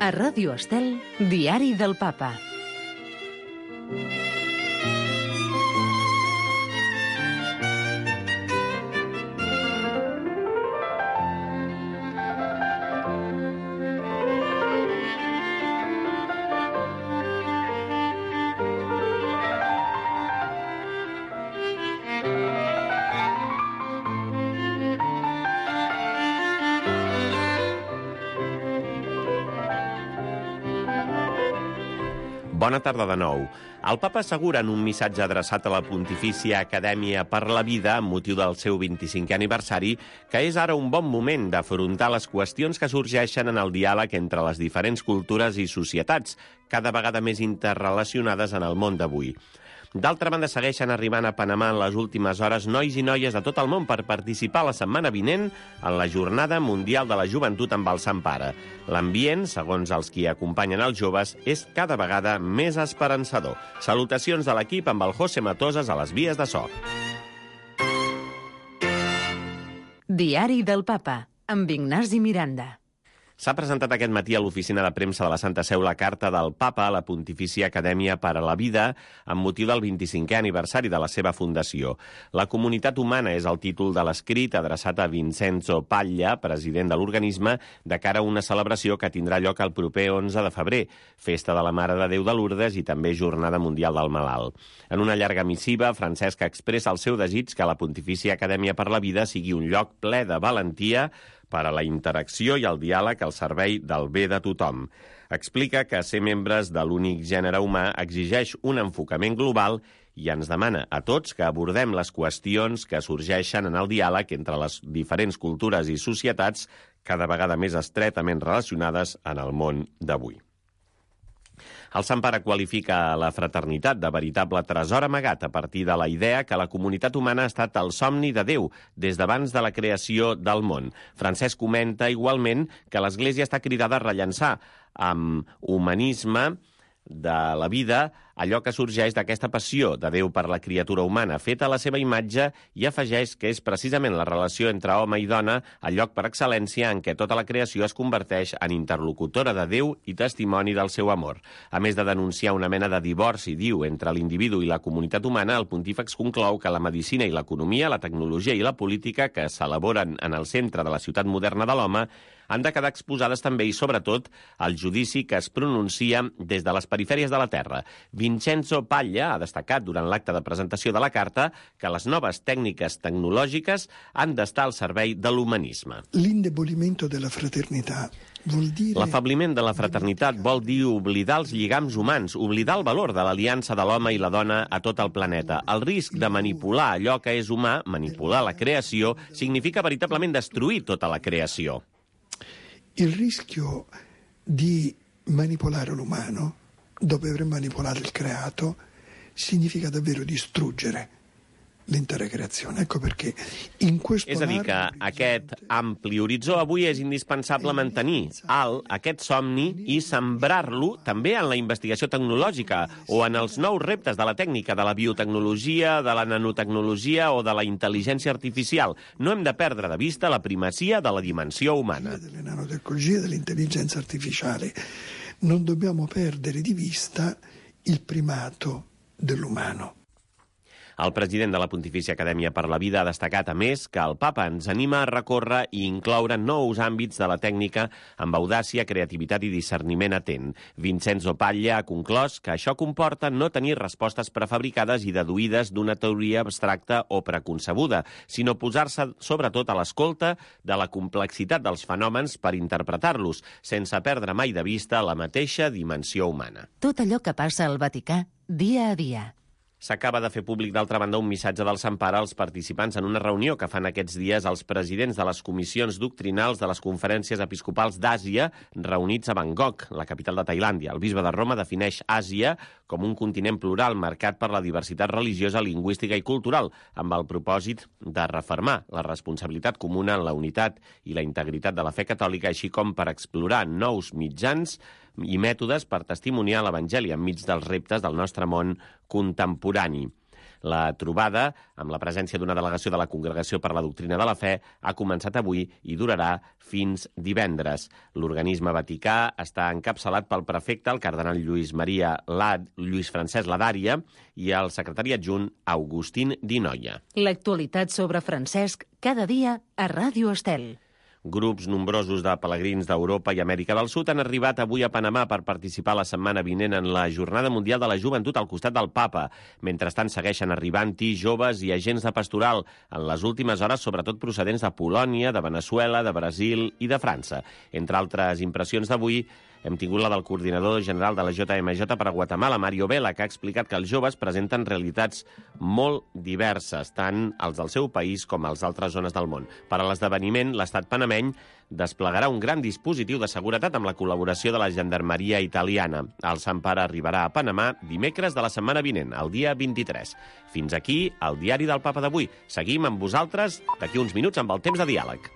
A Ràdio Estel, Diari del Papa. Bona tarda de nou. El papa assegura en un missatge adreçat a la Pontifícia Acadèmia per la Vida, amb motiu del seu 25è aniversari, que és ara un bon moment d'afrontar les qüestions que sorgeixen en el diàleg entre les diferents cultures i societats, cada vegada més interrelacionades en el món d'avui. D'altra banda, segueixen arribant a Panamà en les últimes hores nois i noies de tot el món per participar la setmana vinent en la Jornada Mundial de la Joventut amb el Sant Pare. L'ambient, segons els qui acompanyen els joves, és cada vegada més esperançador. Salutacions de l'equip amb el José Matosas a les vies de so. Diari del Papa, amb Ignasi Miranda. S'ha presentat aquest matí a l'oficina de premsa de la Santa Seu la carta del Papa a la Pontifícia Acadèmia per a la Vida amb motiu del 25è aniversari de la seva fundació. La comunitat humana és el títol de l'escrit adreçat a Vincenzo Paglia, president de l'organisme, de cara a una celebració que tindrà lloc el proper 11 de febrer, Festa de la Mare de Déu de Lourdes i també Jornada Mundial del Malalt. En una llarga missiva, Francesc expressa el seu desig que la Pontifícia Acadèmia per la Vida sigui un lloc ple de valentia per a la interacció i el diàleg al servei del bé de tothom. Explica que ser membres de l'únic gènere humà exigeix un enfocament global i ens demana a tots que abordem les qüestions que sorgeixen en el diàleg entre les diferents cultures i societats cada vegada més estretament relacionades en el món d'avui. El Sant Pare qualifica la fraternitat de veritable tresor amagat a partir de la idea que la comunitat humana ha estat el somni de Déu des d'abans de la creació del món. Francesc comenta igualment que l'Església està cridada a rellançar amb humanisme de la vida allò que sorgeix d'aquesta passió de Déu per la criatura humana, feta a la seva imatge, i afegeix que és precisament la relació entre home i dona el lloc per excel·lència en què tota la creació es converteix en interlocutora de Déu i testimoni del seu amor. A més de denunciar una mena de divorci, diu, entre l'individu i la comunitat humana, el pontífex conclou que la medicina i l'economia, la tecnologia i la política que s'elaboren en el centre de la ciutat moderna de l'home han de quedar exposades també i, sobretot, al judici que es pronuncia des de les perifèries de la Terra. Vincenzo Paglia ha destacat durant l'acte de presentació de la carta que les noves tècniques tecnològiques han d'estar al servei de l'humanisme. L'indebolimento della fraternità vol dire... L'afebliment de la fraternitat vol dir oblidar els lligams humans, oblidar el valor de l'aliança de l'home i la dona a tot el planeta. El risc de manipular allò que és humà, manipular la creació, significa veritablement destruir tota la creació. Il rischio di manipolare l'umano, dopo aver manipolato il creato, significa davvero distruggere l'intera creazione. Ecco perché in questo... És a dir, que aquest ampli horitzó avui és indispensable mantenir alt aquest somni i sembrar-lo també en la investigació tecnològica o en els nous reptes de la tècnica, de la biotecnologia, de la nanotecnologia o de la intel·ligència artificial. No hem de perdre de vista la primacia de la dimensió humana. Delle nanotecnologie e dell'intelligenza artificiale. Non dobbiamo perdere di vista il primato dell'umano. El president de la Pontifícia Acadèmia per la Vida ha destacat, a més, que el papa ens anima a recórrer i incloure nous àmbits de la tècnica amb audàcia, creativitat i discerniment atent. Vincenzo Paglia ha conclòs que això comporta no tenir respostes prefabricades i deduïdes d'una teoria abstracta o preconcebuda, sinó posar-se sobretot a l'escolta de la complexitat dels fenòmens per interpretar-los, sense perdre mai de vista la mateixa dimensió humana. Tot allò que passa al Vaticà, dia a dia. S'acaba de fer públic, d'altra banda, un missatge del Sant Pare als participants en una reunió que fan aquests dies els presidents de les comissions doctrinals de les conferències episcopals d'Àsia reunits a Bangkok, la capital de Tailàndia. El bisbe de Roma defineix Àsia com un continent plural marcat per la diversitat religiosa, lingüística i cultural, amb el propòsit de refermar la responsabilitat comuna en la unitat i la integritat de la fe catòlica, així com per explorar nous mitjans i mètodes per testimoniar l'Evangeli enmig dels reptes del nostre món contemporani. La trobada, amb la presència d'una delegació de la Congregació per la Doctrina de la Fe, ha començat avui i durarà fins divendres. L'organisme vaticà està encapçalat pel prefecte, el cardenal Lluís Francesc Ladària, i el secretari adjunt Agustín Di Noia. L'actualitat sobre Francesc cada dia a Ràdio Estel. Grups nombrosos de pelegrins d'Europa i Amèrica del Sud han arribat avui a Panamà per participar la setmana vinent en la Jornada Mundial de la Joventut al costat del Papa. Mentrestant, segueixen arribant-hi joves i agents de pastoral, en les últimes hores sobretot procedents de Polònia, de Veneçuela, de Brasil i de França. Entre altres impressions d'avui, hem tingut la del coordinador general de la JMJ per a Guatemala, Mario Vela, que ha explicat que els joves presenten realitats molt diverses, tant els del seu país com els d'altres zones del món. Per a l'esdeveniment, l'estat panameny desplegarà un gran dispositiu de seguretat amb la col·laboració de la gendarmeria italiana. El Sant Pare arribarà a Panamà dimecres de la setmana vinent, el dia 23. Fins aquí el diari del Papa d'avui. Seguim amb vosaltres d'aquí uns minuts amb el temps de diàleg.